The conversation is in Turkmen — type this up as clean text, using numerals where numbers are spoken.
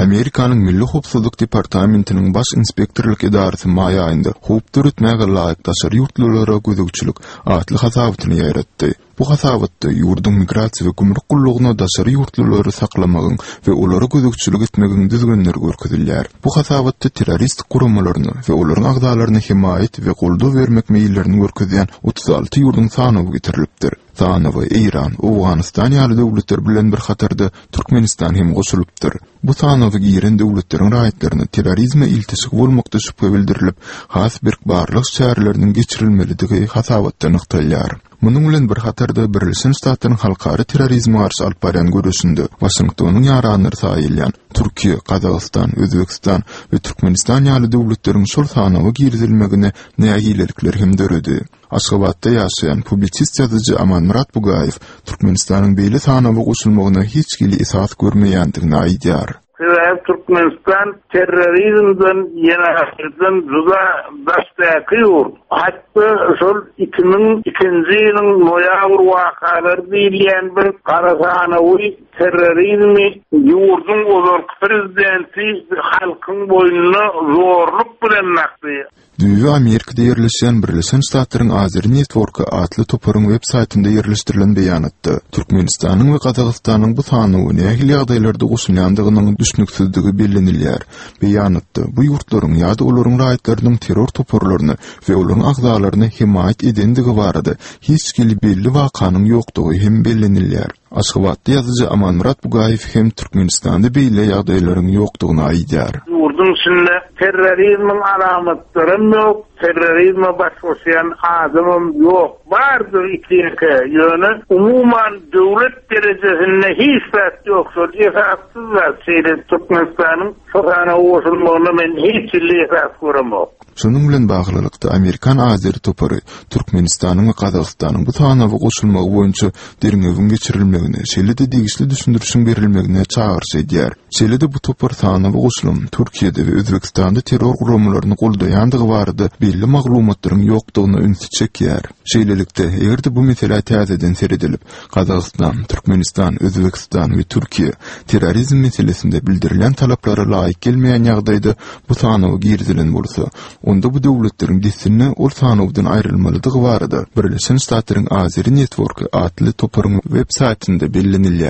Amerikanyň Milli howpsuzlyk departamentiniň Baş inspektorlyk edarasy maý aýynda Howp döretmäge laýyk daşary ýurtlulara gözegçilik atly hasabatyny ýaýratdy. Bu hasabatda ýurduň migrasiýa we gümrük gullugyna daşary ýurtlulary saklamagyň we olara gözegçilik etmegiň düzgünleri görkezilýär. Bu hasabatda terroristik guramalaryna we olaryň agzalaryna hemaýat we goldaw bermek meýillerini görkezýän 36 ýurduň sanawy getirilipdir. Sanawa Eýran, Owganystan ýaly döwletler bilen bir hatarda Türkmenistan hem goşulypdyr. Bu sanawa giren döwletleriň raýatlaryna terrorizme ilteşigi bolmakda şübhe bildirilip, has berk barlag çäreleriniň geçirilmelidigi hasabatda nygtalýar. Munuň bilen bir hatarda Birleşen Ştatlaryň halkara terrorizme garşy alyp barýan göreşinde Waşingtonyň ýaranlary saýylýan Türkiýe, Gazagystan, Özbegistan we Türkmenistan ýaly döwletleriň şol sanawa girizilmegine nägilelikler hem döredi. Aşgabatda ýaşaýan publisist ýazyjy Amanmyrat Bugaýew Türkmenistanyň beýle sanawa goşulmagyna hiç hili esas görmeýändigini aýdýar. Sebäbi Türkmenistan terrorizmden, jenaýatdan juda daşdaky ýurt. Hatda şol 2002-nji ýylyň noýabr wakalary diýilýän bir gara sanawy terrorizmi ýurduň ozalky prezidenti halkyň boýnuna zorluk bilen dakdy. Düýbi Amerikada ýerleşýän Birleşen Ştatlaryň Azeri Network atly toparyň web saýtynda ýerleşdirilen beýanatda, Türkmenistanyň we Gazagystanyň bu sanawa nähili ýagdaýlarda goşulýandygynyň düşnüksizdigi bellenilýär. Beýanatda, bu ýurtlaryň ýa-da olaryň raýatlarynyň terror toparlaryna we olaryň agzalaryna hemaýat edendigi barada hiç hili belli wakanyň ýokdugy hem bellenilýär. Aşgabatda ýazyjy Amanmyrat Bugaýew hem Türkmenistanda beýle ýagdaýlaryň ýokdugyny aýdýar. Ýurduň içinde terrorizmiň alamatlaram ýok, terrorizme baş goşýan adamam ýok. Bardyr iki-ýeke, ýöne umuman döwlet derejesinde hiç zat ýok. Şol esassyz zat şeýle Türkmenistanyň şo sanawa goşulmagyna men hiç hili esas göremok. Şunuň bilen baglylykda, amerikan azeri topary Türkmenistanyň we Gazagystanyň bu sanawa goşulmagy boýunça derňewiň geçirilmegine, şeýle-de degişli düşündirişiň berilmegine çagyryş edýär. Şeýle-de bu topar sanawa goşulan Türkiýede we Özbegistanda terror guramalaryny goldaýandygy barada belli maglumatlaryň ýokdugyna ünsi çekýär. Şeýlelikde, eger-de bu meselä täzeden seredilip, Gazagystan, Türkmenistan, Özbegistan we Türkiýe terrorizm meselesinde bildirilýän talaplara laýyk gelmeýän ýagdaýda bu sanawa girizilen bolsa, onda bu döwletleriň dessine ol sanawdan aýrylmalydygy barada Birleşen Ştatlaryň Azeri Network atly toparyň web saýtynda bellenilýär.